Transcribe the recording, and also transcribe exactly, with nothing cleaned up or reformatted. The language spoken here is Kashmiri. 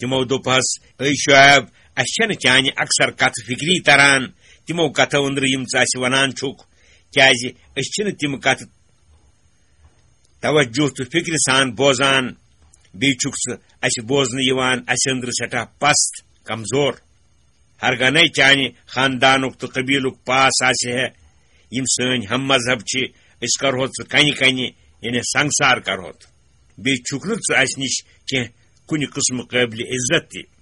تِمو دوٚپہس، "اے شعیب، اسہِ چھنہٕ چانہِ اکثر کتھٕ فکری تران، تِمو کتھو أنٛدرٕ یِم ژٕ اسہِ ونان چھُکھ، کیازِ أسۍ چھِنہٕ تِم کتھٕ توجہ تہٕ فکرِ سان بوزان، بیٚیہِ چھُکھ ژٕ اسہِ بوزنہٕ یِوان اسہِ أنٛدرٕ سٮ۪ٹھاہ پست، کمزور۔ ہرگاہ نے چانہِ خاندانُک تہٕ قبیلُک پاس آسہِ ہے، یِم سٲنۍ ہم مذہب چھِ، أسۍ کرہو ژٕ کنہِ کنہِ، یعنی سنگسار کرہوتھ۔ بیٚیہِ چھُکھ نہٕ ژٕ اسہِ نِش کینٛہہ کُنہِ قٕسمہٕ قٲبلِ عزت تہِ۔"